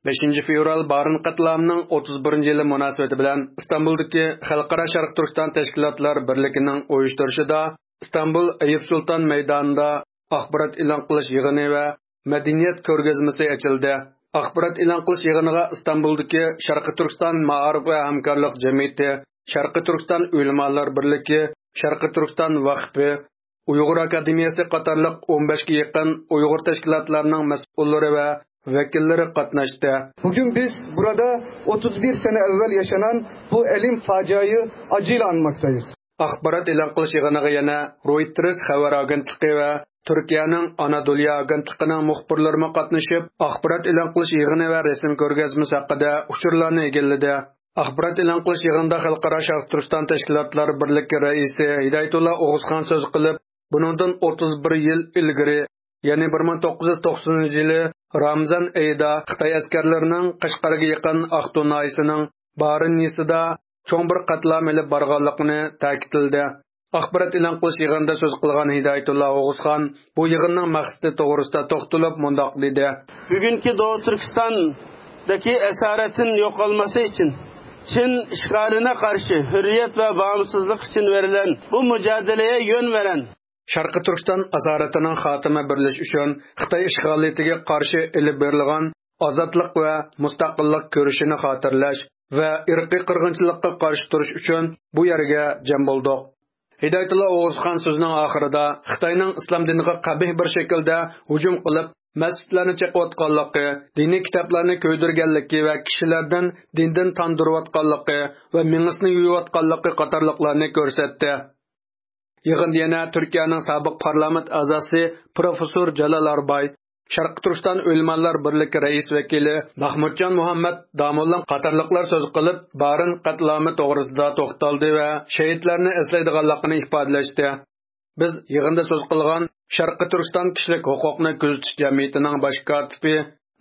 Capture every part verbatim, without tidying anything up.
بەشىنچى فېۋرال بارىن قەتلىئامىنىڭ ئوتتۇز بىرىنچى يىلى مۇناسىۋىتى بىلەن ئىستانبۇلدىكى خەلقئارا شەرقىي تۈركىستان تەشكىلاتلار بىرلىكىنىڭ ئۇيۇشتۇرۇشىدا ئىستانبۇل ئەييۇپ سۇلتان مەيدانىدا ئاخبارات ئېلان قىلىش يىغىنى ۋە مەدەنىيەت كۆرگەزمىسى ئېچىلدى. ئاخبارات ئېلان قىلىش يىغىنىغا ئىستانبۇلدىكى شەرقىي تۈركىستان مائارىپ ۋە ھەمكارلىق جەمئىيىتى، شەرقىي تۈركىستان ئۆلىمالار بىرلىكى، شەرقىي تۈركىستان ۋەقپى، ئۇيغۇر ئاكادېمىيەسى قاتارلىق ئون بەشكە يېقىن ئۇيغۇر تەشكىلاتلارنىڭ مەسئۇللىرى ۋە ۋەكىللىرى قاتناشتى. Bugün biz burada otuz bir sene evvel yaşanan bu elim faciayı acıyla anmaktayız. ئاخبارات ئېلان قىلىش يىغىنىغا يەنە رويتېرس خەۋەر ئاگېنتلىقى ۋە تۈركىيەنىڭ ئانادوليا ئاگېنتلىقىنىڭ مۇخبىرلىرىمۇ قاتنىشىپ، ئاخبارات ئېلان قىلىش يىغىنى ۋە رەسىم كۆرگەزمىسى ھەققىدە ئۇچۇرلارنى ئىگىلىدى. ئاخبارات ئېلان قىلىش يىغىنىدا خەلقئارا شەرقىي تۈركىستان تەشكىلاتلار بىرلىكى رەئىسى ھىدايەتۇللا ئوغۇزخان سۆز قىلىپ، بۇنىڭدىن ئوتتۇز بىر يىل ئىلگىرى، يەنى بىر مىڭ توققۇز يۈز توقسىنىنچى يىلى رامىزان ئېيىدا خىتاي ئەسكەرلىرىنىڭ قەشقەرگە يېقىن ئاقتۇ ناھىيىسىنىڭ بارىن يېزىسىدا چوڭ بىر قەتلىئام ئېلىپ بارغانلىقىنى تەكىتلىدى. ئاخبارات ئېلان قىلىش يىغىنىدا سۆز قىلغان ھىدايەتۇللا ئوغۇزخان بۇ يىغىننىڭ مەقسىتى توغرىسىدا توختىلىپ مۇنداق دېدى. Bugünkü Doğu Türkistan'daki esaretin yok olması için Çin işgaline karşı hürriyet ve bağımsızlık için verilen bu mücadeleye yön veren شەرقىي تۈركىستان ئاسارىتىنىڭ خاتىمە بېرىلىشى ئۈچۈن خىتاي ئىشغالىيىتىگە قارشى ئېلىپ بېرىلغان ئازادلىق ۋە مۇستەقىللىق كۈرىشىنى خاتىرىلەش ۋە ئىرقىي قىرغىنچىلىققا قارشى تۇرۇش ئۈچۈن بۇ يەرگە جەم بولدۇق. ھىدايەتۇللا ئوغۇزخان سۆزىنىڭ ئاخىرىدا خىتاينىڭ ئىسلام دىنىغا قەبىھ بىر شەكىلدە ھۇجۇم قىلىپ، مەسچىتلەرنى چېقىۋاتقانلىقى، دىنىي كىتابلارنى كۆيدۈرگەنلىكى ۋە كىشىلەردىن دىندىن تاندۇرۇۋاتقانلىقى ۋە مېڭىسىنى يۇيۇۋاتقانلىقى قاتارلىقلارنى كۆرسەتتى. يىغىندا يەنە تۈركىيەنىڭ سابىق پارلامېنت ئەزاسى پروفېسسور جالال ئارباي، شەرقىي تۈركىستان ئۆلىمالار بىرلىكى رەئىس ۋەكىلى مەخمۇتجان مۇھەممەد داموللا قاتارلىقلار سۆز قىلىپ، بارىن قەتلىئامى توغرىسىدا توختالدى ۋە شېھىتلەرنى ئەسلەيدىغانلىقىنى ئىپادىلەشتى. بىز يىغىندا سۆز قىلغان شەرقىي تۈركىستان كىشىلىك ھوقۇقنى كۆزىتىش جەمئىيىتىنىڭ باش كاتىپى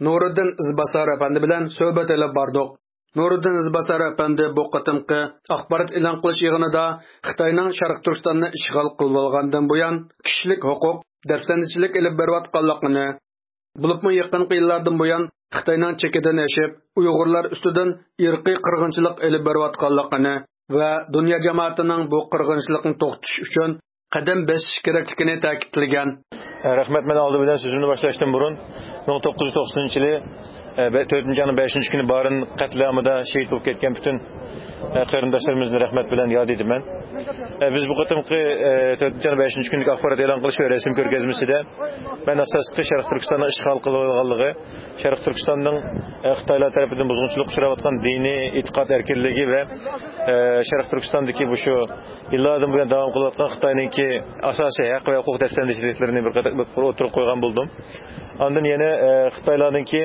نۇرىدىن ئىزباسار ئەپەندى بىلەن سۆھبەت ئېلىپ باردۇق. نۇرىدىن ئىزباسار ئەپەندى بۇ قېتىمقى ئاخبارات ئېلان قىلىش يىغىنىدا خىتاينىڭ شەرقىي تۈركىستاننى ئىشغال قىلىۋالغاندىن بۇيان كىشىلىك ھوقۇق دەپسەندىچىلىك ئېلىپ بېرىۋاتقانلىقىنى، بولۇپمۇ يېقىنقى يىللاردىن بۇيان خىتاينىڭ چېكىدىن ئېشىپ، ئۇيغۇرلار ئۈستىدىن ئىرقىي قىرغىنچىلىق ئېلىپ بېرىۋاتقانلىقىنى ۋە دۇنيا جامائىتىنىڭ بۇ قىرغىنچىلىقنى توختىتىش ئۈچۈن قەدەم بېسىشى كېرەكلىكىنى تەكىتلىگەن. رەھمەت، مەن ئالدى بىلەن سۆزۈمنى باشلاشتىن بۇرۇن، مىڭ توققۇز يۈز توقسىنىنچى يىلى، ئە، بە-، تۆتىنچى ئاينىڭ بەشىنچى كۈنى بارىن قەتلىئامىدا شېھىت بولۇپ كەتكەن پۈتۈن، ئە، قېرىنداشلىرىمىزنى رەھمەت بىلەن ياد ئېتىمەن. ئە، بىز بۇ قېتىمقى، ئە، تۆتىنچى ئاينىڭ بەشىنچى كۈنلۈك ئاخبارات ئېلان قىلىش ۋە رەسىم كۆرگەزمىسىدە مەن ئاساسلىقى شەرقىي تۈركىستاننىڭ ئىشغال قىلىۋالغانلىقى، شەرقىي تۈركىستاننىڭ، ئە، خىتايلار تەرىپىدىن بۇزغۇنچىلىققا ئۇچراۋاتقان دىنىي ئېتىقاد ئەركىنلىكى ۋە، ئە، شەرقىي تۈركىستاندىكى بۇ شۇ يىللاردىن بۇيان داۋام قىلىۋاتقان خىتاينىڭكى ئاساسىي ھەق ۋە ھوقۇق دەپسەندىچىلىكلىرىنى بىر قېتىم بىر ئوتتۇرىغا قويغان بولدۇم. ئاندىن يەنە، ئە، خىتايلارنىڭكى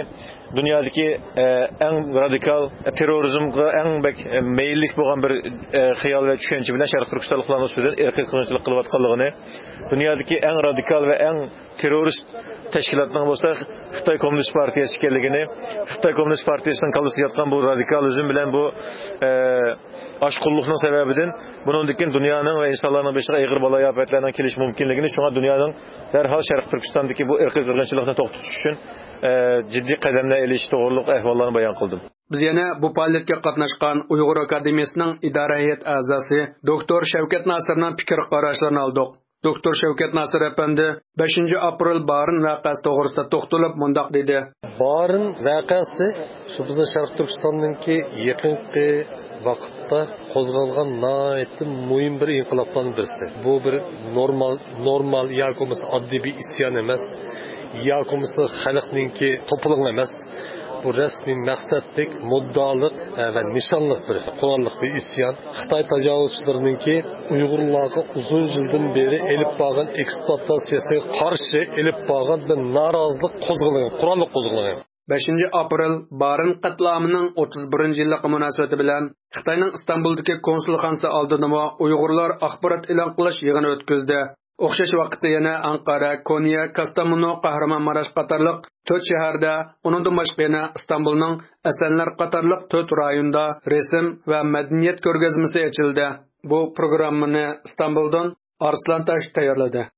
دۇنيادىكى، ئە، ئەڭ رادىكال، تېررورىزمغا ئەڭ بەك، ئە، مەيىللىك بولغان بىر، ئە، خىيال ۋە چۈشەنچە بىلەن شەرقىي تۈركىستانلىقلارنىڭ ئۈستىدىن ئىرقىي قىرغىنچىلىق قىلىۋاتقانلىقىنى، دۇنيادىكى ئەڭ رادىكال ۋە ئەڭ تېررورىست تەشكىلاتنىڭ بولسا خىتاي كوممۇنىست پارتىيەسى ئىكەنلىكىنى، خىتاي كوممۇنىست پارتىيەسىنىڭ كاللىسىدا ياتقان بۇ رادىكالىزم بىلەن بۇ، ئە، ئاشقۇنلۇقنىڭ سەۋەبىدىن بۇنىڭدىن كېيىن دۇنيانىڭ ۋە ئىنسانلارنىڭ بېشىغا ئېغىر بالايىئاپەتلەرنىڭ كېلىشى مۇمكىنلىكىنى، شۇڭا دۇنيانىڭ دەرھال شەرقىي تۈركىستاندىكى بۇ ئىرقىي قىرغىنچىلىقنى توختىتىش ئۈچۈن، ئە، جىددىي قەدەملەر ئېلىشى توغرۇلۇق ئەھۋاللارنى بايان قىلدىم. بىز يەنە بۇ پائالىيەتكە قاتناشقان ئۇيغۇر ئاكادېمىيىسىنىڭ ئىدارە ھەيئەت ئەزاسى دوكتور شەۋكەت ناسىرنىڭ پىكىر قاراشلىرىنى ئالدۇق. دوكتور شەۋكەت ناسىر ئەپەندى بەشىنچى ئاپرېل بارىن ۋەقەسى توغرىسىدا توختىلىپ مۇنداق دېدى. بارىن ۋەقەسى شۇ بىزنىڭ شەرقىي تۈركىستاننىڭكى يېقىنقى ۋاقىتتا قوزغالغان ناھايىتى مۇھىم بىر ئىنقىلابلارنىڭ بىرسى. بۇ بىر نورمال، نورمال ياكى بولمىسا ئاددىي بىر ئىسيان ئەمەس، ياكى بولمىسا خەلقنىڭكى توپىلىڭى ئەمەس. بۇ رەسمىي مەقسەتلىك، مۇددىئالىق، ئە، ۋە نىشانلىق بىر قوراللىق بىر ئىسيان. خىتاي تاجاۋۇزچىلىرىنىڭكى ئۇيغۇرلارغا ئۇزۇن يىلدىن بېرى ئېلىپ بارغان ئېكسپلۇئاتاتسىيەسىگە قارشى ئېلىپ بارغان بىر نارازىلىق قوزغىلىڭى، قوراللىق قوزغىلىڭى. بەشىنچى ئاپرېل بارىن قەتلىئامىنىڭ ئوتتۇز بىرىنچى يىللىقى مۇناسىۋىتى بىلەن خىتاينىڭ ئىستانبۇلدىكى كونسۇلخانىسى ئالدىدىمۇ ئۇيغۇرلار ئاخبارات ئېلان قىلىش يىغىنى ئۆتكۈزدى. ئوخشاش ۋاقىتتا يەنە ئەنقەرە، كونيا، كاستامونۇ، قەھرىمانماراش قاتارلىق تۆت شەھەردە، ئۇنىڭدىن باشقا يەنە ئىستانبۇلنىڭ ئەسەنلەر قاتارلىق تۆت رايوندا رەسىم ۋە مەدەنىيەت كۆرگەزمىسى ئېچىلدى. بۇ پروگراممىنى ئىستانبۇلدىن ئارسلان تاش تەييارلىدى.